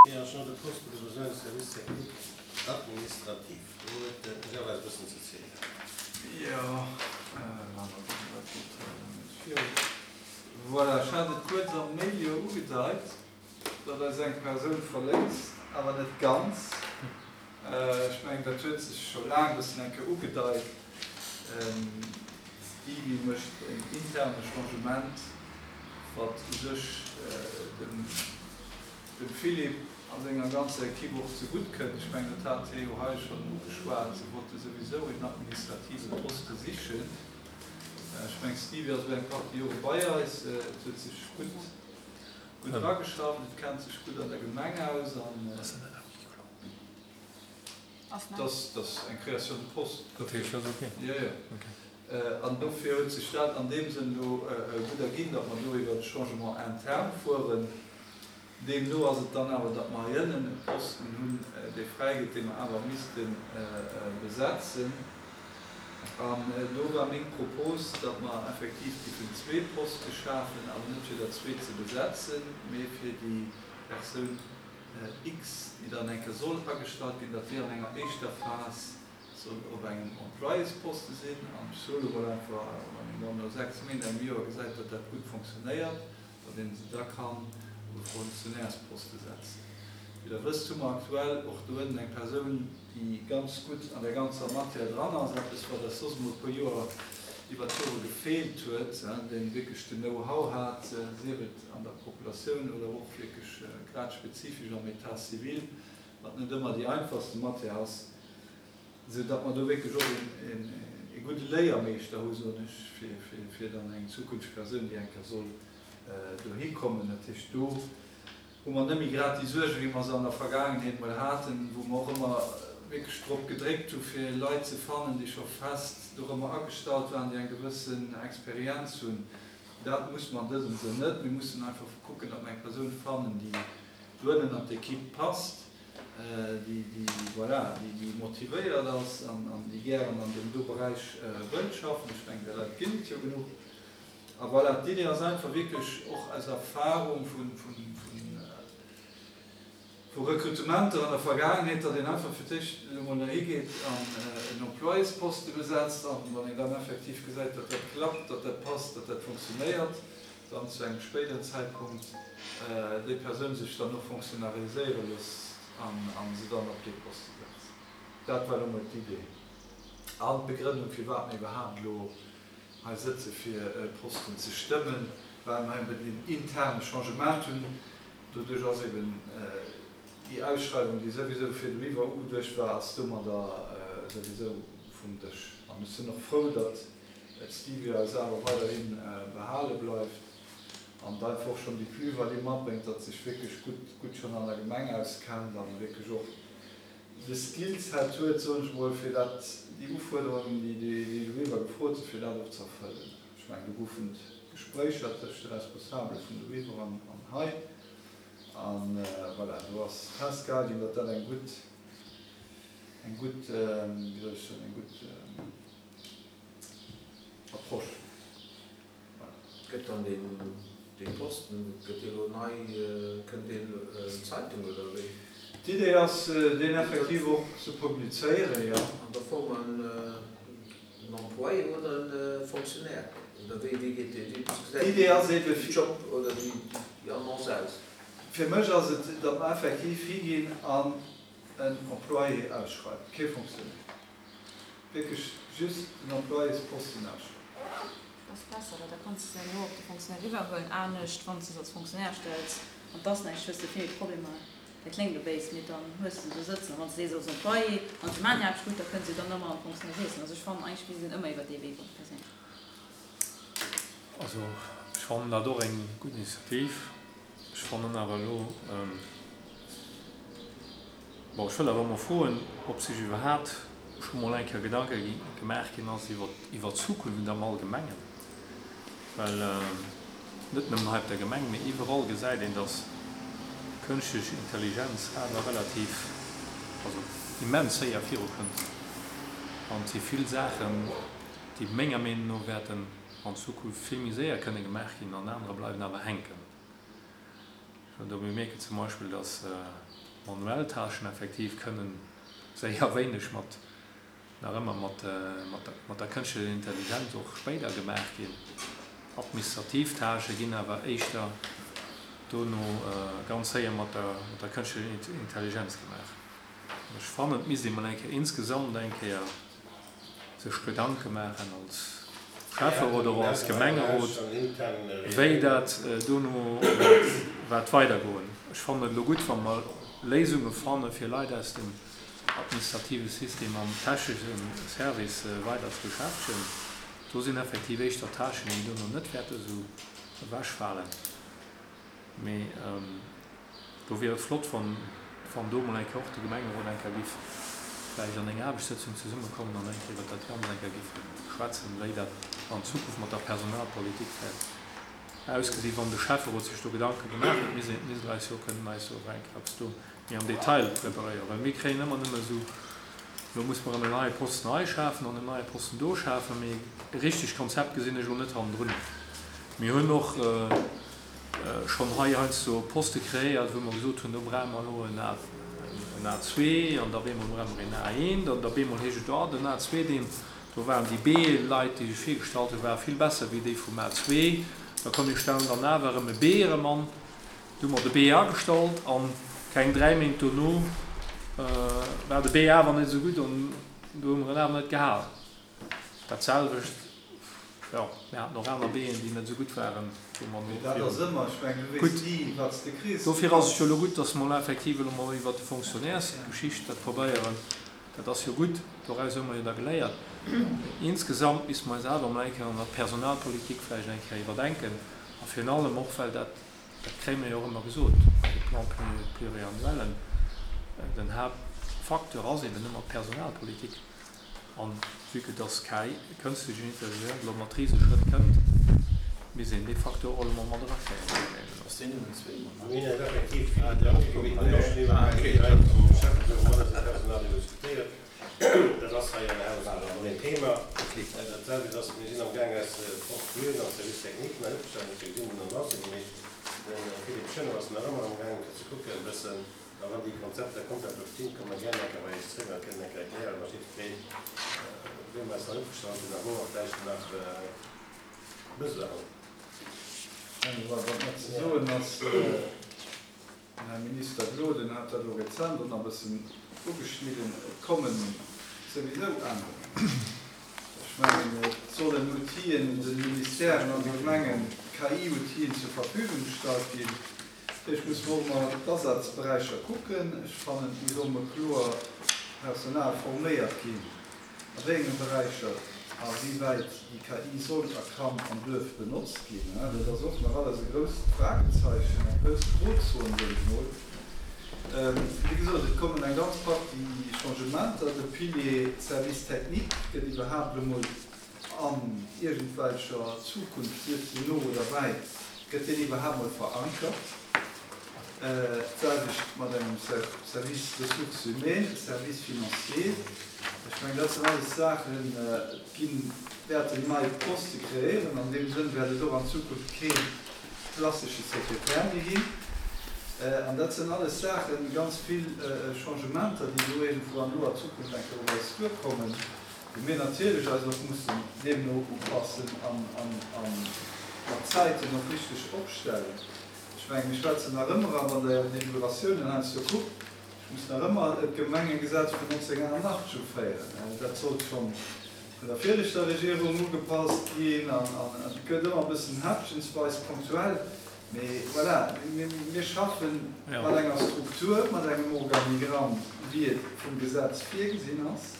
Création de poste de besoin de service technique administratif. Do huet de Gervais e bëssen ze zielen. Jo, maache mer dat geet net viru. Voilà, ech hat et kuerz am Mail jo ugedeit, datt eis eng Persoun verléisst, awer net ganz. Ech mengen, dat huet sech scho laang e bëssen eng Kéier ugedeit. D'Stevie mécht en interne Changement, wat u sech dem. dem Philippe a senger ganzer Equipe och zegutt kënnt. Ech mengen, dat hat hie jo hei schonn ugeschwat, se wollte souwisou een administrative Poste sichen. Ech mengen, d'Stevie ass elo eng Partie Jore bei eis, et huet sech gutt, gutt ageschafft, et kennt sech gutt an der Gemeng aus an dat ass eng Création de poste. Dat heescht, dat ass ok? Jo, jo. An dofir huet sech dat an deem Sënn elo gutt erginn, datt mer do iwwert e Changement interne fueren. Deemno ass et dann awer, datt mer hei ënnen e Posten hunn, dee fräi gëtt, dee mer awer misste besetzen. An do war meng Propos, datt mer effektiv géifen zwee Poste schafen, awer net fir der zwee ze besetzen, mee fir déi Persoun X, déi dann eng Kéier soll agestallt ginn, datt déi an enger éischter Phas soll op engem Employésposte sinn. An ech soe mol einfach, wann een dann no 6 Méint, engem Joer gesäit, datt dat gutt fonctionnéiert, datt een se da kann op e Fonctionnairsposte setzen. Wéi Der wësst, hu mer aktuell och do ënnen eng Persoun, déi ganz gutt an där ganzer Matière dran ass, eppes wat eis soss emol e puer Joer iwwer d'Jore gefeelt huet, dee wierklech den Know-how hat, sief et an der Populatioun oder och wierklech grad spezifesch am État civil, wat net ëmmer déi einfachste Matière ass. Esou datt mer do wierklech och ee gudde Léiermeeschter hu, soen ech, fir dann eng zukünfteg Persoun, déi eng Kéier soll dohi kommen. Dat heescht, do hu mer net méi grad déi Suerge wéi mer se an der Vergaangenheet mol haten, wou mer och ëmmer wierklech drop gedréckt hu fir Leit ze fannen, déi scho fest dorëmmer agestallt waren, déi eng gewëssen Experienz hunn. Dat musse mer an dësem Sënn net. Mir mussen einfach kucken, datt mer eng Persoun fannen, déi doënnen an d'Equipe passt, déi, voilà, déi motivéiert ass an déi gären an deem do Beräich wëllt schaffen. Ech mengen, där Leit ginn et jo genuch. A voilà, d'Idee ass einfach wierklech och aus Erfahrung vu Rekrutementer an der Vergaangenheet, datt een einfach fir d'éischt elo mol dohi geet an en Employésposte besetzt an wann een dann effektiv gesäit, datt dat klappt, datt dat passt, datt dat funktionéiert, dann zu engem spéideren Zäitpunkt déi Persoun sech dann och fonctionnariséiere loosst an se dann op dee Poste setzt. Dat war elo mol d'Idee an d'Begrënnung, firwat mir iwwerhaapt elo hei sëtze fir e Posten ze stëmmen, well mer eben deen interne Changement hunn. Doduerch ass eben déi Ausschreiwung, déi souwisou virduiwwer ugeduecht war, ass domadder souwisou vum Dësch. An ech sinn och frou, datt d'Stevia eis awer weiderhi behale bleift an einfach och schonn déi Plus-value matbréngt, datt sech wierklech gutt, gutt schonn an der Gemeng auskennt an wierklech och de Skillset huet, soen ech mol, fir dat, déi Ufuerderungen, déi déi doriwwer gefrot sinn, fir dat och ze erfëllen. Ech mengen, do goufen et Gespréicher tëscht de Responsabele vun doriwwer an hei an voilà, do ass festgehal ginn, datt dat eng gutt, eng gutt, wéi soll ech soen, eng gutt, Approche. Voilà. Gëtt dann dee Posten, gëtt dee lo nei, kënnt deen an d'Zeitung oder wéi? D'Idee ass, deen effektiv och ze publizéieren, jo. An da froe mer en Employé oder e Fonctionnaire oder wéi, wéi geet dee, wéi gesäit D'Idee ass ebe dee Job oder déi Annonce aus? Fir mech ass et, datt mer effektiv higinn an en Employé ausschreiwen, kee Fonctionnaire. Wierklech just den Employésposten ausschreiwen. Ass besser, well da kanns de se herno op de Fonctionnaire eriwwerhuelen. Anescht, wann s de se als Fonctionnaire stells an 't ass näischt, hues de vill méi Problemer. Dat kléngt elo béis, mee dann hues de se do sëtzen. A wann s de sees als Employé an se maachen hir Aarbecht gutt, da kënne se jo dann ëmmer an de Fonctionnaire wiesselen. Also ech fannen eigentlech misst een ëmmer iwwer dee Wee goen, perséinlech. Also ech fannen dat och eng gutt Initiativ. Ech fannen awer elo, bon, ech wëll awer emol froen, ob sech iwwerhaapt scho mol eng Kéier Gedanke gemaach ginn ass iwwer iwwer d'Zukunft am Allgemengen. Well net nëmmen hei op der Gemeng, mee iwwerall gesäit een, datt kënschtlech Intelligenz awer relativ, also immens séier virukënnt. An et si vill Saachen, déi menger Meenung no wäerten an Zukunft vill méi séier kënne gemaach ginn an anerer bleiwen awer hänken. Oder mir mierken zum Beispill, dass manuell Tâchen effektiv kënnen séier wéineg mat, nach ëmmer mat, mat der kënschtlecher Intelligenz och spéider gemaach ginn. Administrativ Tâchë ginn awer éischter dono ganz séier mat der, mat der kënschtlecher Intelligenz gemaach. An ech fannen, et misst ee mol eng Kéier insgesamt eng Kéier sech Gedanke maachen als Schäfferot oder och als Gemengerot, wéi dat dono wäert weidergoen. Ech fannen et elo gutt, wa mer Léisunge fanne fir Leit aus dem administrative System am technesche Service weider ze beschäftegen. Do sinn effektiv éischter Tâchen, déi dono net wäerte esou ewechfalen. Mee do wier et flott, wann, wann do emol eng Kéier och de Gemengerot eng Kéier giff vläicht an enger Aarbechtssëtzung zesummekommen an eng Kéier iwwert dat Ganzt eng Kéier giff schwätzen, wéi dat an Zukunft mat der Personalpolitik wäert ausgesinn. Wann de Schäfferot sech do Gedanke gemaach huet, misst een, misst Der eis jo kënnen eis jo och eng Kéier eppes do méi am Detail preparéieren, well mir kréien ëmmer nëmme esou, elo muss mer erëm en neie Posten hei schafen an en neie Posten do schafen, mee e richtegt Konzept gesinn ech elo net hannendrun. Mir hunn och schonn hei heiansdo Poste kreéiert, wou mer gesot hunn, do brauche mer elo en A, en A2 an da bemol brauche mer een A1 an da bemol heescht et, oh den A2, deen, do waren déi B-Leit, déi sech virgestallt hunn, ware vill besser wéi déi vum A2. Da komm mir stellen dann awer erëm e B erëm an. Du hu mer de B agestallt an keng 3 Méint dono war de B awer net esou gutt an du hu mer en awer net gehalen. Dat selwecht, jo, mir haten och aner B'en, déi net esou gutt waren, wou mer no virun. Gutt, dofir ass et jo elo gutt, dass mer elo effektiv elo mol iwwert de Fonctionnairesgeschicht dat probéieren. Dat ass jo gutt, doraus hu mer jo da geléiert. Insgesamt misste mer eis awer emol eng Kéier an der Personalpolitik vläicht eng Kéier iwwerdenken a virun allem och, well dat, dat kréie mer jo och ëmmer gesot bei de Plans pluriannuellen, den Haaptfacteur ass eben ëmmer d'Personalpolitik. An vue que dass KI, kënstlech Intelligenz, elo mat Riseschrëtt kënnt, misst een dee Facteur och elo mol mat erakréien, menger Meenung no. Ass deen nëmmen zweemol Mir hunn eis effektiv vill Gedanke gemaach, mir hunn och schonn iwwer KI hei am Schäfferot mat eisem Personal iwwer diskutéiert. Dat ass hei am Haus awer och een Thema. Dat selwecht ass, mir sinn am Gaang eis Portefeuillen am Service technique nei opzestellen, dofir gesinn den Annoncë gemeet. De Philippe Schönerer ass nach ëmmer am Gaang fir ze kucken e bëssen, A wann déi Konzepter komplett do stinn, komme mer gären eng Kéier bei Iech zréck a kënnen eng Kéier erklären, mat jiddweree, wéi mer eis nach net verstanden hunn a wou mer vläicht nach Besoin hunn. Wat nach ze soen ass, den Här Minister Gloden hat dat elo rezent och nach e bëssen ugeschnidden, et kommen souwisou Ännerungen. Ech mengen, et sollen Outill'en de Ministèren an de Gemengen, KI-Outill'en zur Verfügung gestallt ginn. Ech muss mer och emol d'Asazberäicher kucken. Ech fannen, et muss och emol kloer Personal forméiert ginn, a wéi enge Beräicher a wéi wäit déi KI soll a kann an duerf benotzt ginn. Dat ass och nach alles e grousst Fragezeichen, eng grouss Grozon, soen ech mol. Wéi gesot, et kommen eng ganz Partie Changementer. De Pilier Service technique gëtt iwwerhaapt elo mol An iergendwelcher Zukunft, sief se no oder wäit, gëtt deen iwwerhaapt mol verankert? D'selwecht mat engem Service Ressources humaines, Service financier. Ech mengen, dat sinn alles Saachen, ginn, wäerten nei Poste kreéieren. An deem Sënn wäert et och an Zukunft kee klassesche Sekretär méi ginn. An dat sinn alles Saachen, ganz vill Changementer, déi do iergendwou an noer Zukunft eng Kéier op eis duerkommen. Wou mir natierlech eis och mussen deemno upassen an mat Zäiten och richteg opstellen. Ech mengen, mir schwätzen nach ëmmer, a wann Der Är Deliberatiounen heiansdo kuckt, ech muss nach ëmmer d'Gemengegesetz vun 1988 uféieren. Dat sollt scho vun der viregter Regierung ugepasst ginn an et gëtt ëmmer e bëssen häppchensweis punktuell. Mee voilà, mir schaffe mat enger Struktur, mat engem Organigramm, wéi et vum Gesetz virgesinn ass.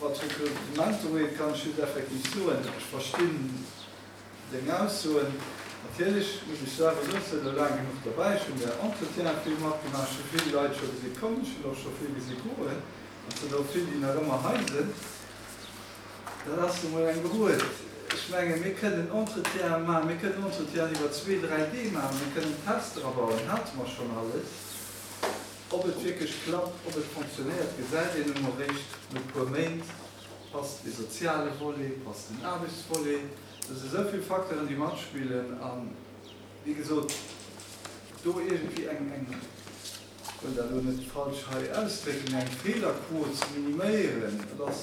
Wat d'Rekrutement ugeet, kann ech just effektiv soen, ech verstinn deng Aussoen. Natierlech muss ech selwer soen, ech sinn elo laang genuch derbäi, ech hunn där Entretiene vill matgemaach, ech hu vill Leit scho gesi kommen, ech hunn och scho vill gesi goen an et sinn och vill, déi nach ëmmer hei sinn. Dat ass nu mol eng Beruet. Ech mengen, mir kënnen Entretiene maachen, mir kënnen Entretienen iwwer zwee, dräi Dee maachen, mir kënnen Tester abauen, hate mer schonn alles. Ob et wierklech klappt, ob et fonctionnéiert, gesäit een elo eréischt no e puer Méint. Passt dee soziale Volet, passt den Aarbechtsvolet? Do si sou vill Facteuren, déi matspillen. A wéi gesot, Do iergendwéi eng, eng, ech wëll dat elo net falsch hei ausdrécken, eng Feelerquot ze miniméieren, dat ass,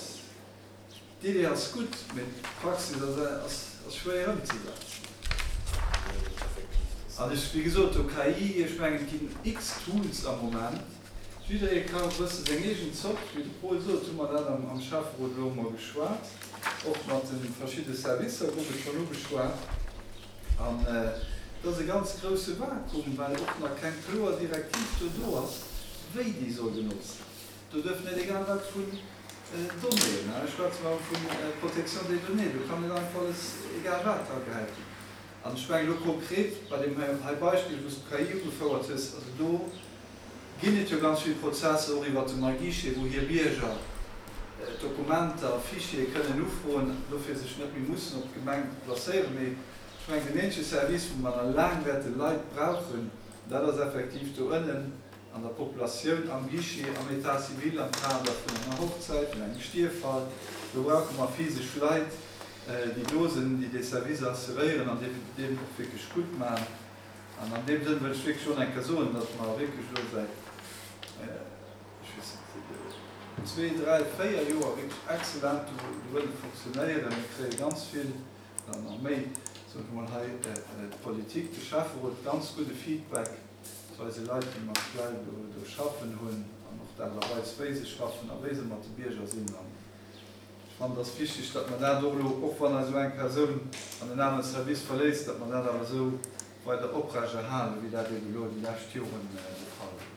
d'Idee ass gutt, mee d'Praxis ass, ass schwéier ëmzesetzen. An ech, wéi gesot, do KI, ech mengen, et ginn x Tools am Moment, jidderee ka e bësse seng eegen Zopp, wéi de Paul sot, hu mer dat am Schäfferot elo emol geschwat, och mat de verschidde Servicer gouf et schonn ugeschwat. An et ass e ganz grousse Vakuum, well och nach keng kloer Direktiv do do ass, wéi déi soll genotzt ginn. Do duerf net egal wat vun Donnéeën, ech schwätze mer vu Protection des données, do kann net einfach alles egal wat dragehäit ginn. An ech mengen elo konkret bei deem hei Beispill, wou s de d'KI ugefouert hues, also do ginn et jo ganz vill Prozesser och iwwert de MyGuichet, wou hir Bierger Dokumenter, Fichiere kënnen ufroen, dofir sech net méi mussen op d'Gemeng placéieren. Mee ech mengen, deen eenzege Service, wou mer nach laang wäerte Leit brauchen, dat ass effektiv do ënnen an der Populatioun, am Guichet, am État civil, am Kader vun enger Hochzäit, vun engem Stierffall. Do brauche mer physesch Leit, déi do sinn, déi dee Service assuréieren an deen och wierklech gutt maachen. An an deem Sënn wëll ech wierklech och nach eng Kéier soen, datt mer wierklech elo säit, ech weess net, zwee, dräi, véier Joer wierklech exzellent do wëlle fonctionnéieren. Mir kréie ganz vill, dann nach méi, soen ech emol hei, d'Politik, de Schäfferot, ganz gudde Feedback zu eise Leit, déi mer aktuell do schaffen hunn, an och d'Aart a Weis, wéi se schaffen a wéi se mat de Bierger sinn. An ech fannen, et ass wichteg, datt mer dat och elo, och wann eis esou eng Persoun an en anere Service verléisst, datt mer dat awer esou weider oprechterhalen, wéi dat eeben elo déi lescht Joren de Fall war.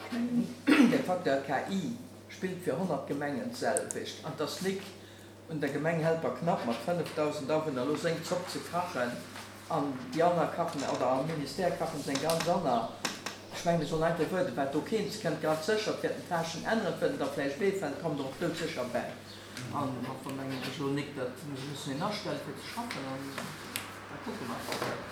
Ech mengen, de Facteur KI spillt fir 100 Gemengen d'selwecht. An et ass nik un der Gemeng Helperknapp mat 5.000 Awunner elo seng Zopp ze kachen an déi aner kachen, oder am Ministère kachen se eng ganz aner. Ech mengen, mir sollen einfach wuarden, wat do keent kënnt. Ganz sécher, et wäerten d'Tâchen änneren, et wäerten der vläicht wéifalen, et kommen der och doudsécher bäi. An enfin mengen ech elo nik, datt mir mussen een astelle fir ze schaffen an da kucke mer einfach.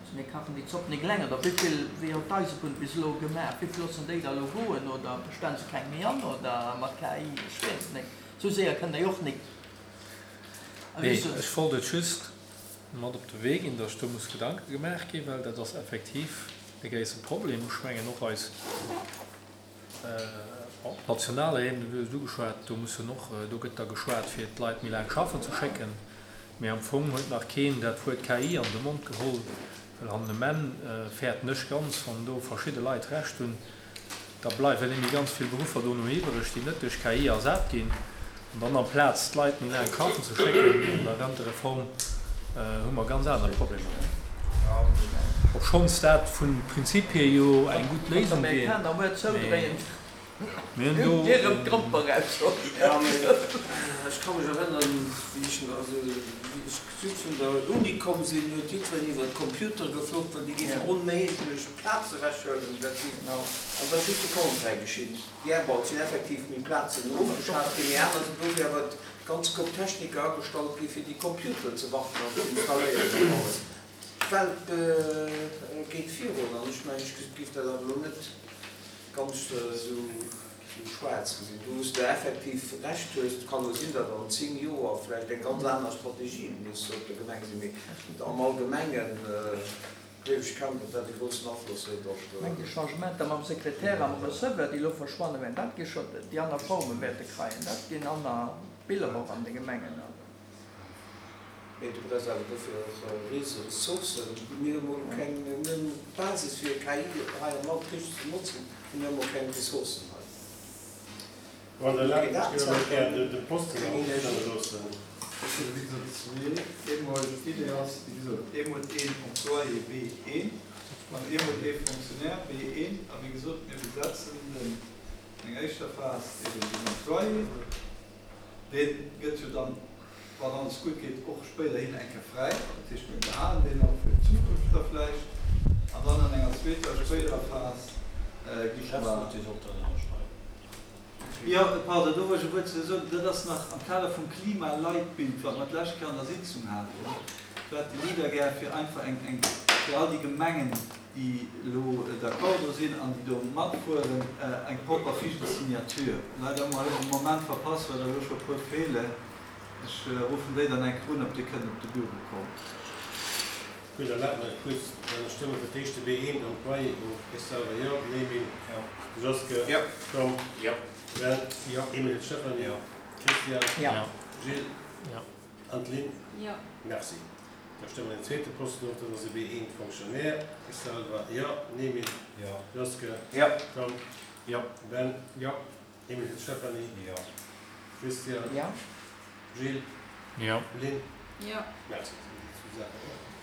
Also mir kachen déi Zopp nik eleng. Oder wéivill, wéi huet d'Eisebunn bis elo gemaach? Wéivill loossen déi da elo goen? Oder bestellen se keng méi an? Oder mat KI? Ech weess et nik. Esou séier kënnt der jo och nik. Nee, ech wollt et just mat op de Wee ginn, datt do muss Gedanke gemaach ginn, well dat ass effektiv e gréisse Problem. Ech mengen och eis Op nationaler Ebene, du hues et ugeschwat, do mussen och, do gëtt da geschwat fir d'Leit méi laang schaffen ze schécken, mee am Fong huet nach keen dat Wuert KI an de Mond geholl, well an um Enn fäerten ech ganz, wann do verschidde Leit Recht hunn, da bleiwen némme ganz vill Beruffer dono iwwereg, déi net duerch KI ersat ginn. An dann amplaz d'Leit méi laang schaffen ze schécken an der Rentereform, hu mer ganz aner Problemer. Obschonns dat vum Prinzip hier jo eng gutt Léisung wier, mee mir hunn do. Ech ka mech erënneren, wéi ech just vun der Uni komm sinn, huet jiddwereen iwwer d'Computere geflucht, well déi géifen onméiglech Plaze ewechhuelen. An da ass just de Contraire geschitt. Jo, bon, et sinn effektiv méi Plazen ofgeschaaft ginn, mee aner sinn dofir awer ganz Koup Techniker agestallt gi fir déi Computeren ze warten an ze installéieren an alles. D'Welt geet virun an ech mengen, ech géif dat awer elo net ganz esou schwaarz gesinn. Do wou s de effektiv Recht hues, et kann elo sinn, datt an 10 Joer vläicht eng ganz aner Strategie muss op der Gemeng sinn, mee am Allgemengen, Gleef ech kaum, datt dat e groussen Afloss huet op. Mengt déi Changementer mam Sekretär a mam Receveur, déi elo verschwanne wären, dat gi scho déi aner Forme wäerte kreien, dat ginn aner Biller och an de Gemengen. Mee du brauchs awer dofir och rise Ressourcen. Mir hu mol keng, mir hunn d'Basis fir KI hei am Land richteg ze notzen, mee mir hu mol keng Ressourcen hei. Wann Der erlaabt, ech géif awer gär de Posten erofstelle loossen. Ech hunn, wéi gesot, zwee. Eemol, d'Idee ass, wéi gesot, eemol een Employé B1 an eemol ee Fonctionnaire B1. A wéi gesot, mir besetzen den, eng éischter Phas eben den Employé. Dee gëtt jo dann, wann alles gutt geet, och spéiderhin eng Kéier fräi. Dat heescht, mir behalen deen och fir d'Zukunft da vläicht. An dann an enger zweeter, spéiderer Phas gi mer. Jo, pardon, do wollt ech e Wuert zu soen. Dat ass nach am Kader vum Klimaleitbild, wat mer d'lescht Kéier an der Sitzung haten. Do hat de Leader gär fir einfach eng, eng, fir all déi Gemengen, déi elo d'accord do sinn an déi do matfueren, eng propper Fiche de signature. Leider hu mer elo de Moment verpasst, well der elo scho e puer feelen. Ech ruffen déi dann eng Kéier un, ob déi kënnen op de Büro kommen. Gutt, erlaabt mer kuerz, dann stëmme fir d'éischt de B1 Employé of. Ech selwer jo. Némin. Jo. Joske. Jo. Tom. Jo. Ben. Jo. Emile Stephany. Jo. Christian. Jo. Gilles. Jo. An d'Lynn. Jo. Merci. Da stëmme mer den zweete Posten of, dat ass e B1 Fonctionnaire. Ech selwer jo. Némin. Jo. Joske. Jo. Tom. Jo. Ben. Jo. Emile Stephany. Jo. Christian. Jo. Gilles. Jo. Lynn. Jo. Merci. Dat sinn déi zwou Saachen.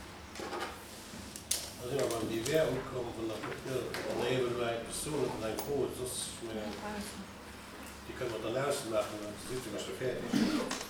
Da si mer beim Divers ukomm. Wann der wann der eeben elo eng Persoun huet mat eng Fro huet, soss, ech mengen, déi kënne mer dann ausmaachen, dann si mer scho fäerdeg.